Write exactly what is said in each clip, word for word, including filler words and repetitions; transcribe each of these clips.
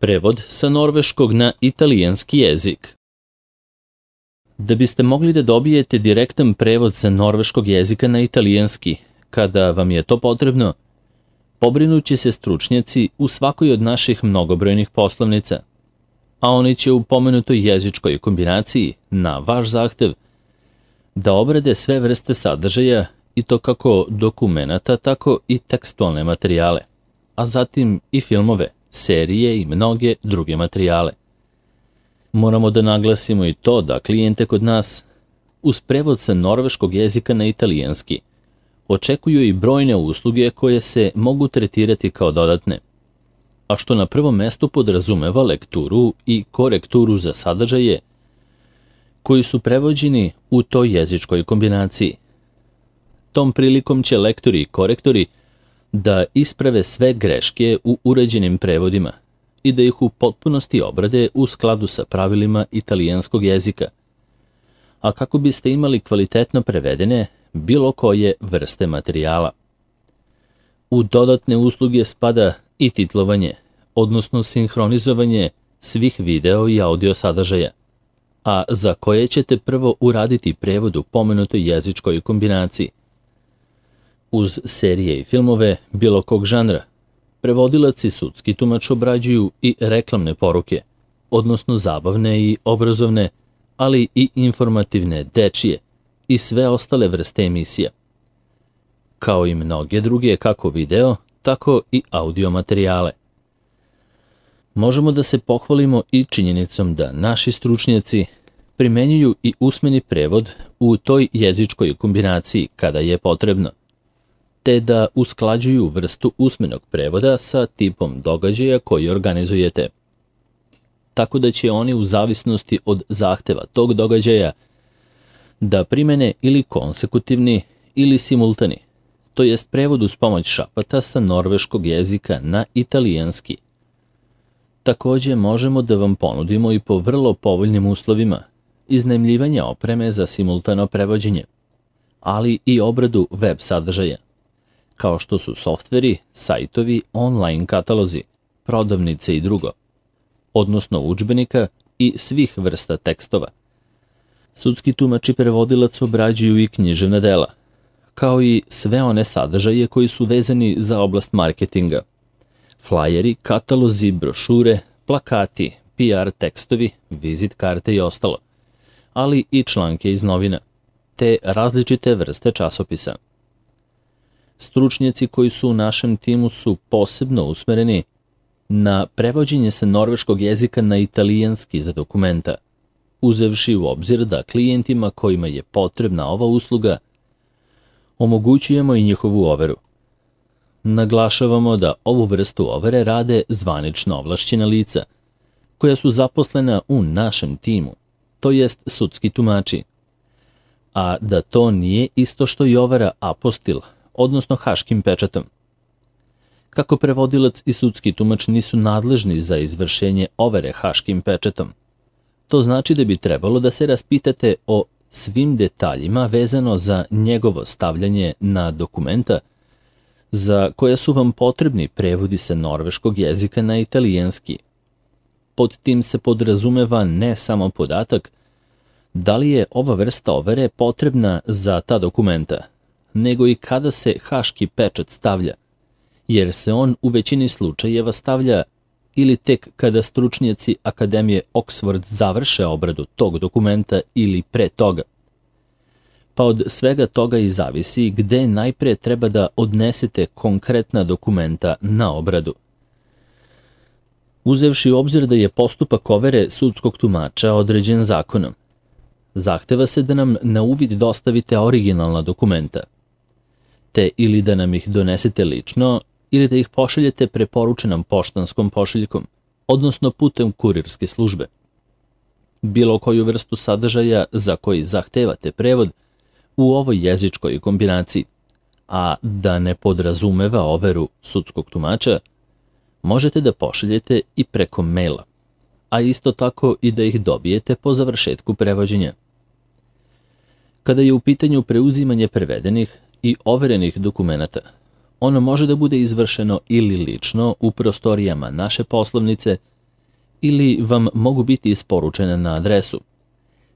Prevod sa norveškog na italijanski jezik. Da biste mogli da dobijete direktan prevod sa norveškog jezika na italijanski, kada vam je to potrebno, pobrinuće se stručnjaci u svakoj od naših mnogobrojnih poslovnica, a oni će u pomenutoj jezičkoj kombinaciji, na vaš zahtev, da obrade sve vrste sadržaja i to kako dokumenata, tako i tekstualne materijale, a zatim i filmove, serije i mnoge druge materijale. Moramo da naglasimo i to da klijente kod nas, uz prevod sa norveškog jezika na italijanski, očekuju i brojne usluge koje se mogu tretirati kao dodatne, a što na prvom mestu podrazumeva lekturu i korekturu za sadržaje koji su prevođeni u toj jezičkoj kombinaciji. Tom prilikom će lektori i korektori da isprave sve greške u uređenim prevodima i da ih u potpunosti obrade u skladu sa pravilima italijanskog jezika, a kako biste imali kvalitetno prevedene bilo koje vrste materijala. U dodatne usluge spada i titlovanje, odnosno sinhronizovanje svih video i audio sadržaja, a za koje ćete prvo uraditi prevod u pomenutoj jezičkoj kombinaciji. Uz serije i filmove bilo kog žanra, prevodilac i sudski tumač obrađuju i reklamne poruke, odnosno zabavne i obrazovne, ali i informativne, dečije i sve ostale vrste emisija, kao i mnoge druge kako video, tako i audio materijale. Možemo da se pohvalimo i činjenicom da naši stručnjaci primenjuju i usmeni prevod u toj jezičkoj kombinaciji kada je potrebno, te da usklađuju vrstu usmenog prevoda sa tipom događaja koji organizujete. Tako da će oni u zavisnosti od zahteva tog događaja da primene ili konsekutivni ili simultani, to jest prevod uz pomoć šapata sa norveškog jezika na italijanski. Takođe možemo da vam ponudimo i po vrlo povoljnim uslovima iznajmljivanja opreme za simultano prevođenje, ali i obradu web sadržaja, kao što su softveri, sajtovi, online katalozi, prodavnice i drugo, odnosno udžbenika i svih vrsta tekstova. Sudski tumač i prevodilac obrađuju i književna dela, kao i sve one sadržaje koji su vezani za oblast marketinga, flajeri, katalozi, brošure, plakati, P R tekstovi, vizit karte i ostalo, ali i članke iz novina, te različite vrste časopisa. Stručnjaci koji su u našem timu su posebno usmereni na prevođenje sa norveškog jezika na italijanski za dokumenta, uzevši u obzir da klijentima kojima je potrebna ova usluga omogućujemo i njihovu overu. Naglašavamo da ovu vrstu overe rade zvanično ovlašćena lica, koja su zaposlena u našem timu, to jest sudski tumači, a da to nije isto što i overa apostil, odnosno haškim pečatom. Kako prevodilac i sudski tumač nisu nadležni za izvršenje overe haškim pečatom, to znači da bi trebalo da se raspitate o svim detaljima vezano za njegovo stavljanje na dokumenta za koja su vam potrebni prevodi sa norveškog jezika na italijanski. Pod tim se podrazumeva ne samo podatak da li je ova vrsta overe potrebna za ta dokumenta, nego i kada se haški pečat stavlja, jer se on u većini slučajeva stavlja ili tek kada stručnjaci Akademije Oxford završe obradu tog dokumenta ili pre toga. Pa od svega toga i zavisi gde najpre treba da odnesete konkretna dokumenta na obradu. Uzevši u obzir da je postupak overe sudskog tumača određen zakonom, zahteva se da nam na uvid dostavite originalna dokumenta, te ili da nam ih donesete lično ili da ih pošaljete preporučenom poštanskom pošiljkom, odnosno putem kurirske službe. Bilo koju vrstu sadržaja za koji zahtevate prevod u ovoj jezičkoj kombinaciji, a da ne podrazumeva overu sudskog tumača, možete da pošaljete i preko maila, a isto tako i da ih dobijete po završetku prevođenja. Kada je u pitanju preuzimanje prevedenih i overenih dokumenata, ono može da bude izvršeno ili lično u prostorijama naše poslovnice ili vam mogu biti isporučene na adresu,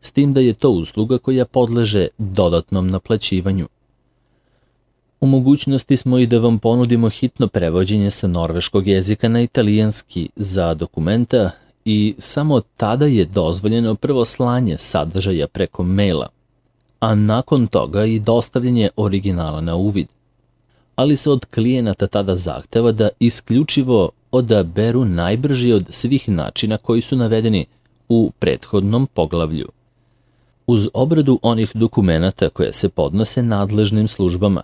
s tim da je to usluga koja podleže dodatnom naplaćivanju. U mogućnosti smo i da vam ponudimo hitno prevođenje sa norveškog jezika na italijanski za dokumenta i samo tada je dozvoljeno prvo slanje sadržaja preko maila, a nakon toga i dostavljanje originala na uvid. Ali se od klijenata tada zahteva da isključivo odaberu najbrži od svih načina koji su navedeni u prethodnom poglavlju, uz obradu onih dokumenata koje se podnose nadležnim službama,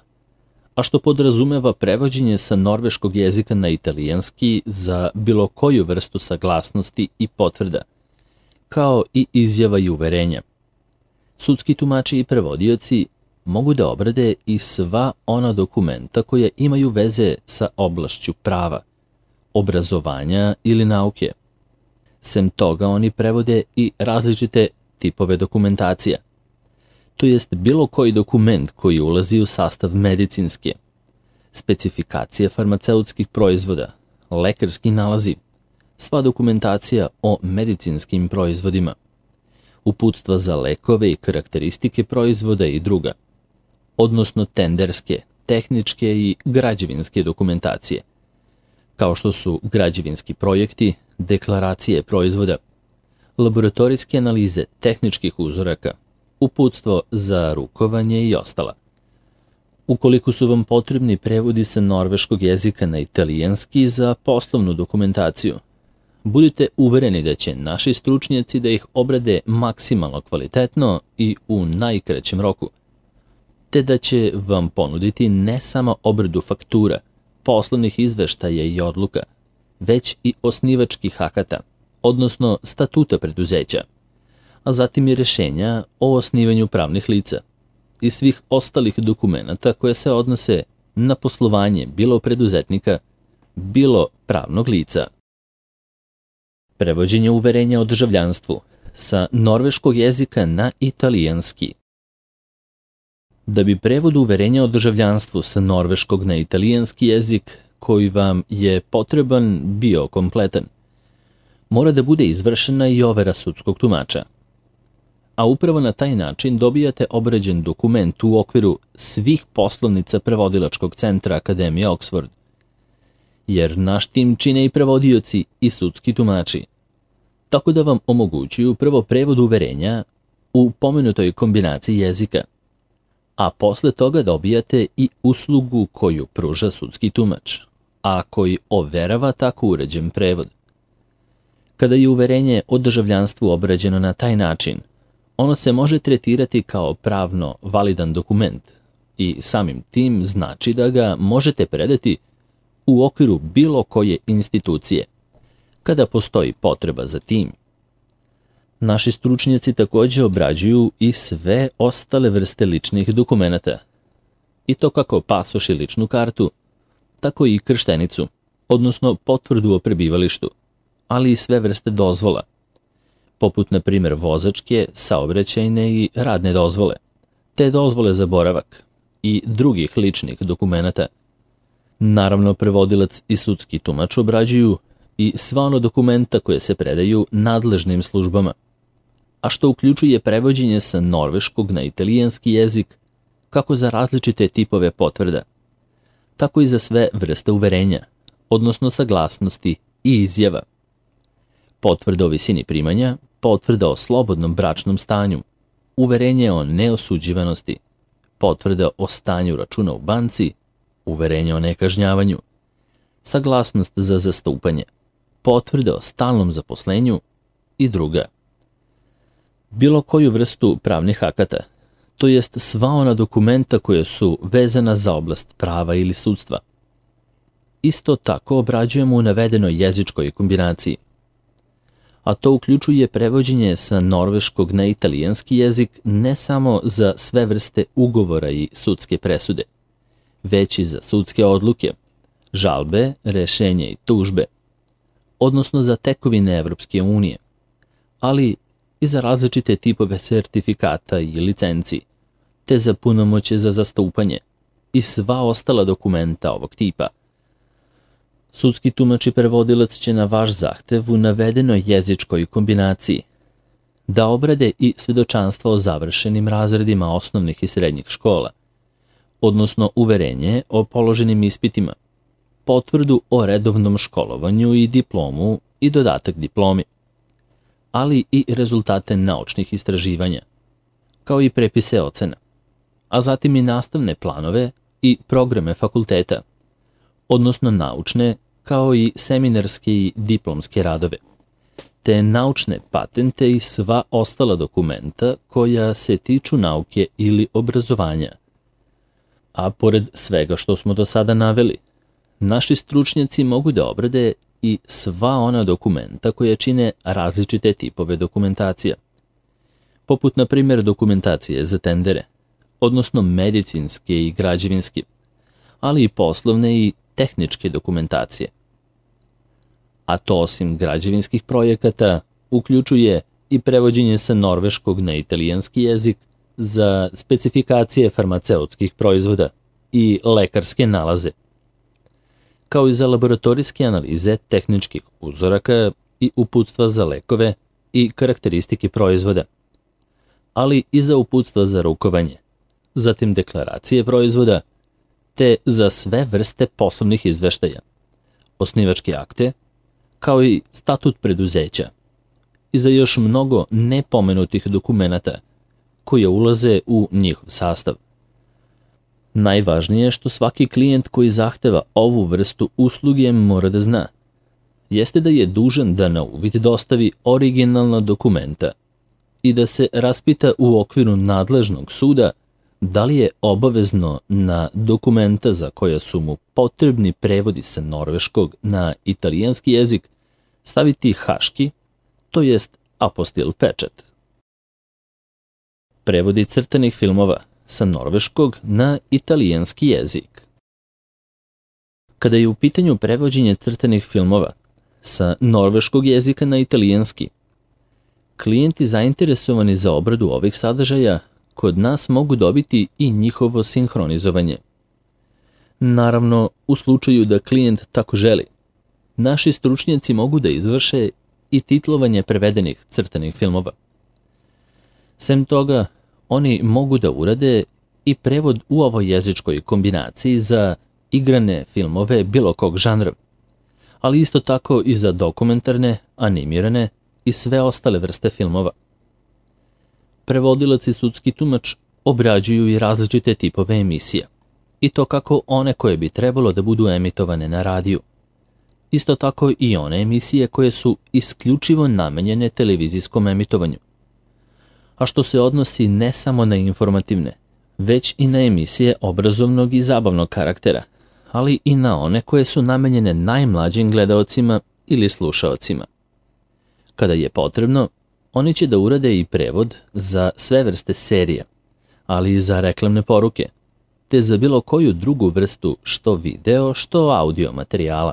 a što podrazumeva prevođenje sa norveškog jezika na italijanski za bilo koju vrstu saglasnosti i potvrda, kao i izjava i uverenja. Sudski tumači i prevodioci mogu da obrade i sva ona dokumenta koja imaju veze sa oblašću prava, obrazovanja ili nauke. Sem toga oni prevode i različite tipove dokumentacija, to jest bilo koji dokument koji ulazi u sastav medicinske, specifikacije farmaceutskih proizvoda, lekarski nalazi, sva dokumentacija o medicinskim proizvodima, uputstva za lekove i karakteristike proizvoda i druga, odnosno tenderske, tehničke i građevinske dokumentacije, kao što su građevinski projekti, deklaracije proizvoda, laboratorijske analize tehničkih uzoraka, uputstvo za rukovanje i ostala. Ukoliko su vam potrebni prevodi sa norveškog jezika na italijanski za poslovnu dokumentaciju, budite uvereni da će naši stručnjaci da ih obrade maksimalno kvalitetno i u najkraćem roku, te da će vam ponuditi ne samo obradu faktura, poslovnih izveštaja i odluka, već i osnivačkih akata, odnosno statuta preduzeća, a zatim i rešenja o osnivanju pravnih lica i svih ostalih dokumenata koje se odnose na poslovanje bilo preduzetnika, bilo pravnog lica. Prevođenje uverenja o državljanstvu sa norveškog jezika na italijanski. Da bi prevod uverenja o državljanstvu sa norveškog na italijanski jezik koji vam je potreban bio kompletan, mora da bude izvršena i overa sudskog tumača. A upravo na taj način dobijate obrađen dokument u okviru svih poslovnica prevodilačkog centra Akademije Oxford, jer naš tim čine i prevodioci i sudski tumači, tako da vam omogućuju prvo prevod uverenja u pomenutoj kombinaciji jezika, a posle toga dobijate i uslugu koju pruža sudski tumač, a koji overava tako uređen prevod. Kada je uverenje o državljanstvu obrađeno na taj način, ono se može tretirati kao pravno validan dokument i samim tim znači da ga možete predati u okviru bilo koje institucije, kada postoji potreba za tim. Naši stručnjaci takođe obrađuju i sve ostale vrste ličnih dokumenata, i to kako pasoš i ličnu kartu, tako i krštenicu, odnosno potvrdu o prebivalištu, ali i sve vrste dozvola, poput na primjer vozačke, saobraćajne i radne dozvole, te dozvole za boravak i drugih ličnih dokumenata. Naravno, prevodilac i sudski tumač obrađuju i sva ona dokumenta koje se predaju nadležnim službama, a što uključuje prevođenje sa norveškog na italijanski jezik kako za različite tipove potvrda, tako i za sve vrste uverenja, odnosno saglasnosti i izjava. Potvrda o visini primanja, potvrda o slobodnom bračnom stanju, uverenje o neosuđivanosti, potvrda o stanju računa u banci, uverenje o nekažnjavanju, saglasnost za zastupanje, potvrda o stalnom zaposlenju i druga. Bilo koju vrstu pravnih akata, to jest sva ona dokumenta koje su vezana za oblast prava ili sudstva. Isto tako obrađujemo u navedenoj jezičkoj kombinaciji, a to uključuje prevođenje sa norveškog na italijanski jezik ne samo za sve vrste ugovora i sudske presude, već i za sudske odluke, žalbe, rešenje i tužbe, odnosno za tekovine Evropske unije, ali i za različite tipove sertifikata i licenci, te za punomoćje za zastupanje i sva ostala dokumenta ovog tipa. Sudski tumač i prevodilac će na vaš zahtev u navedenoj jezičkoj kombinaciji da obrade i svedočanstva o završenim razredima osnovnih i srednjih škola, odnosno uverenje o položenim ispitima, potvrdu o redovnom školovanju i diplomu i dodatak diplomi, ali i rezultate naučnih istraživanja, kao i prepise ocena, a zatim i nastavne planove i programe fakulteta, odnosno naučne kao i seminarske i diplomske radove, te naučne patente i sva ostala dokumenta koja se tiču nauke ili obrazovanja. A pored svega što smo do sada naveli, naši stručnjaci mogu da obrade i sva ona dokumenta koje čine različite tipove dokumentacija, poput na primjer dokumentacije za tendere, odnosno medicinske i građevinske, ali i poslovne i tehničke dokumentacije. A to osim građevinskih projekata uključuje i prevođenje sa norveškog na italijanski jezik za specifikacije farmaceutskih proizvoda i lekarske nalaze, kao i za laboratorijske analize tehničkih uzoraka i uputstva za lekove i karakteristike proizvoda, ali i za uputstva za rukovanje, zatim deklaracije proizvoda, te za sve vrste poslovnih izveštaja, osnivačke akte, kao i statut preduzeća, i za još mnogo nepomenutih dokumenata koje ulaze u njihov sastav. Najvažnije što svaki klijent koji zahteva ovu vrstu usluge mora da zna, jeste da je dužan da na uvid dostavi originalna dokumenta i da se raspita u okviru nadležnog suda da li je obavezno na dokumenta za koja su mu potrebni prevodi sa norveškog na italijanski jezik staviti haški, to jest apostil pečat. Prevodi crtanih filmova sa norveškog na italijanski jezik. Kada je u pitanju prevođenje crtanih filmova sa norveškog jezika na italijanski, klijenti zainteresovani za obradu ovih sadržaja kod nas mogu dobiti i njihovo sinhronizovanje. Naravno, u slučaju da klijent tako želi, naši stručnjaci mogu da izvrše i titlovanje prevedenih crtanih filmova. Sem toga, oni mogu da urade i prevod u ovoj jezičkoj kombinaciji za igrane filmove bilo kog žanra, ali isto tako i za dokumentarne, animirane i sve ostale vrste filmova. Prevodilac i sudski tumač obrađuju i različite tipove emisija, i to kako one koje bi trebalo da budu emitovane na radiju. Isto tako i one emisije koje su isključivo namenjene televizijskom emitovanju, a što se odnosi ne samo na informativne, već i na emisije obrazovnog i zabavnog karaktera, ali i na one koje su namenjene najmlađim gledaocima ili slušaocima. Kada je potrebno, oni će da urade i prevod za sve vrste serija, ali i za reklamne poruke, te za bilo koju drugu vrstu što video, što audio materijala.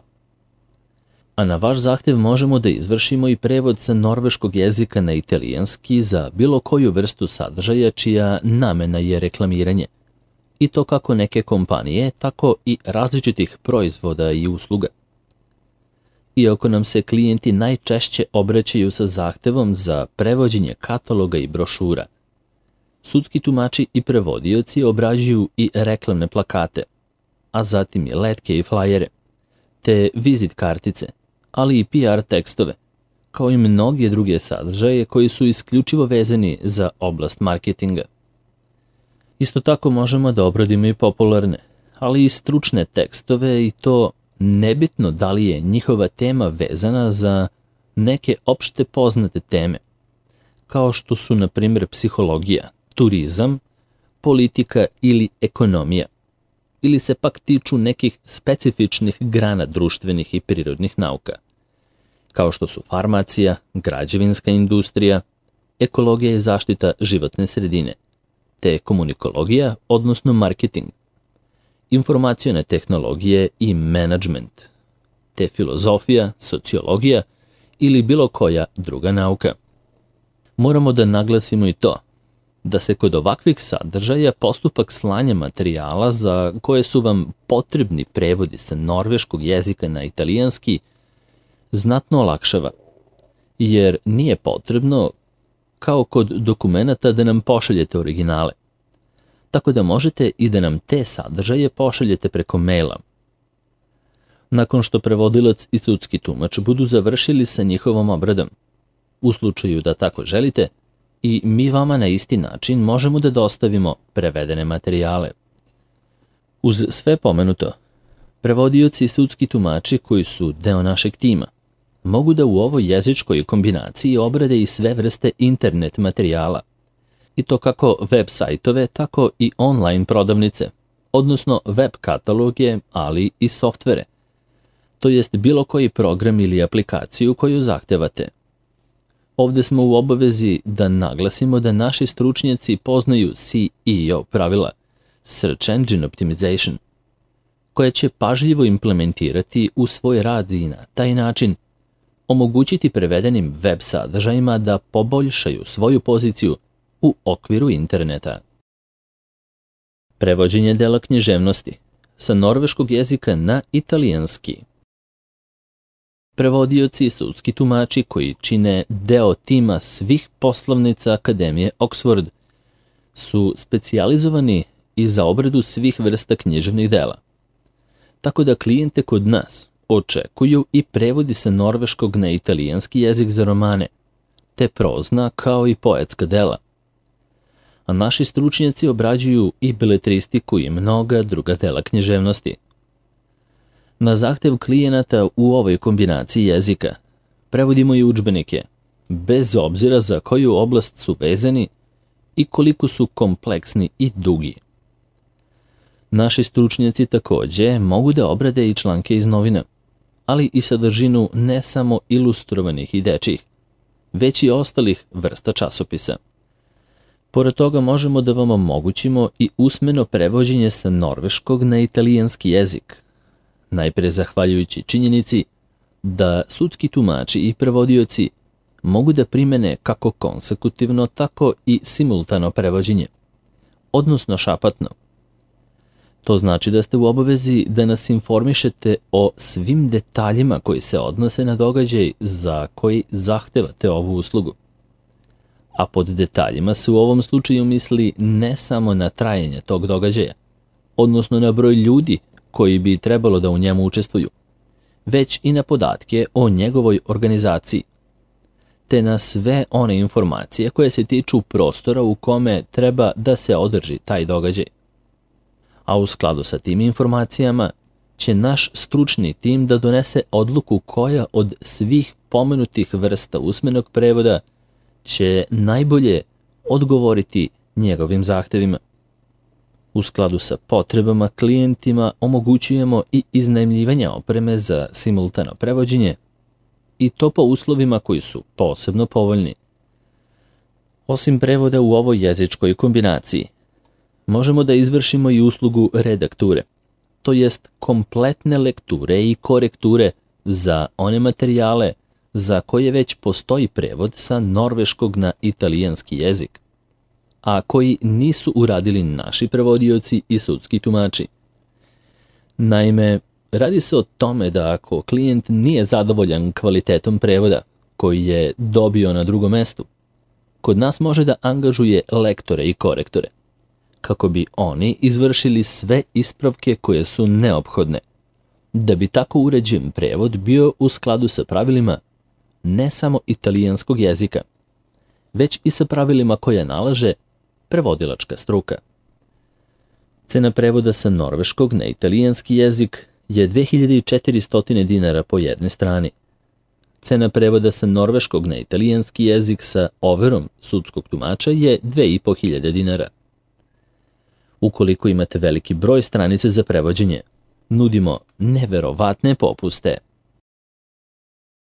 A na vaš zahtev možemo da izvršimo i prevod sa norveškog jezika na italijanski za bilo koju vrstu sadržaja čija namena je reklamiranje, i to kako neke kompanije, tako i različitih proizvoda i usluga. Iako nam se klijenti najčešće obraćaju sa zahtevom za prevođenje kataloga i brošura, sudski tumači i prevodioci obrađuju i reklamne plakate, a zatim i letke i flajere, te vizit kartice, ali i P R tekstove, kao i mnoge druge sadržaje koji su isključivo vezani za oblast marketinga. Isto tako možemo da obradimo i popularne, ali i stručne tekstove, i to nebitno da li je njihova tema vezana za neke opšte poznate teme, kao što su na primjer psihologija, turizam, politika ili ekonomija, ili se pak tiču nekih specifičnih grana društvenih i prirodnih nauka, kao što su farmacija, građevinska industrija, ekologija i zaštita životne sredine, te komunikologija, odnosno marketing, informacione tehnologije i menadžment, te filozofija, sociologija ili bilo koja druga nauka. Moramo da naglasimo i to da se kod ovakvih sadržaja postupak slanja materijala za koje su vam potrebni prevodi sa norveškog jezika na italijanski znatno olakšava, jer nije potrebno, kao kod dokumenata, da nam pošaljete originale. Tako da možete i da nam te sadržaje pošaljete preko maila. Nakon što prevodilac i sudski tumač budu završili sa njihovom obradom, u slučaju da tako želite, i mi vama na isti način možemo da dostavimo prevedene materijale. Uz sve pomenuto, prevodioci i sudski tumači koji su deo našeg tima mogu da u ovoj jezičkoj kombinaciji obrade i sve vrste internet materijala, i to kako web sajtove, tako i online prodavnice, odnosno web kataloge, ali i softvere, to jest bilo koji program ili aplikaciju koju zahtevate. Ovde smo u obavezi da naglasimo da naši stručnjaci poznaju C E O pravila, Search Engine Optimization, koje će pažljivo implementirati u svoj rad i na taj način omogućiti prevedenim web sadržajima da poboljšaju svoju poziciju u okviru interneta. Prevođenje dela književnosti sa norveškog jezika na italijanski. Prevodioci i sudski tumači koji čine deo tima svih poslovnica Akademije Oxford su specijalizovani i za obradu svih vrsta književnih dela. Tako da klijente kod nas očekuju i prevodi sa norveškog na italijanski jezik za romane, te prozna kao i poetska dela. A naši stručnjaci obrađuju i beletristiku i mnoga druga dela književnosti. Na zahtev klijenata u ovoj kombinaciji jezika prevodimo i udžbenike, bez obzira za koju oblast su vezani i koliko su kompleksni i dugi. Naši stručnjaci takođe mogu da obrade i članke iz novina, ali i sadržinu ne samo ilustrovanih i dečjih, već i ostalih vrsta časopisa. Pored toga možemo da vam omogućimo i usmeno prevođenje sa norveškog na italijanski jezik, najpre zahvaljujući činjenici da sudski tumači i prevodioci mogu da primene kako konsekutivno, tako i simultano prevođenje, odnosno šapatno. To znači da ste u obavezi da nas informišete o svim detaljima koji se odnose na događaj za koji zahtevate ovu uslugu. A pod detaljima se u ovom slučaju misli ne samo na trajanje tog događaja, odnosno na broj ljudi koji bi trebalo da u njemu učestvuju, već i na podatke o njegovoj organizaciji, te na sve one informacije koje se tiču prostora u kome treba da se održi taj događaj. A u skladu sa tim informacijama će naš stručni tim da donese odluku koja od svih pomenutih vrsta usmenog prevoda će najbolje odgovoriti njegovim zahtevima. U skladu sa potrebama klijentima omogućujemo i iznajmljivanje opreme za simultano prevođenje, i to po uslovima koji su posebno povoljni. Osim prevoda u ovoj jezičkoj kombinaciji, možemo da izvršimo i uslugu redakture, to jest kompletne lekture i korekture za one materijale za koje već postoji prevod sa norveškog na italijanski jezik, a koji nisu uradili naši prevodioci i sudski tumači. Naime, radi se o tome da ako klijent nije zadovoljan kvalitetom prevoda koji je dobio na drugom mestu, kod nas može da angažuje lektore i korektore, kako bi oni izvršili sve ispravke koje su neophodne, da bi tako uređen prevod bio u skladu sa pravilima ne samo italijanskog jezika, već i sa pravilima koje nalaže prevodilačka struka. Cena prevoda sa norveškog na italijanski jezik je dve hiljade četiristo dinara po jednoj strani. Cena prevoda sa norveškog na italijanski jezik sa overom sudskog tumača je dve hiljade petsto dinara. Ukoliko imate veliki broj stranica za prevođenje, nudimo neverovatne popuste.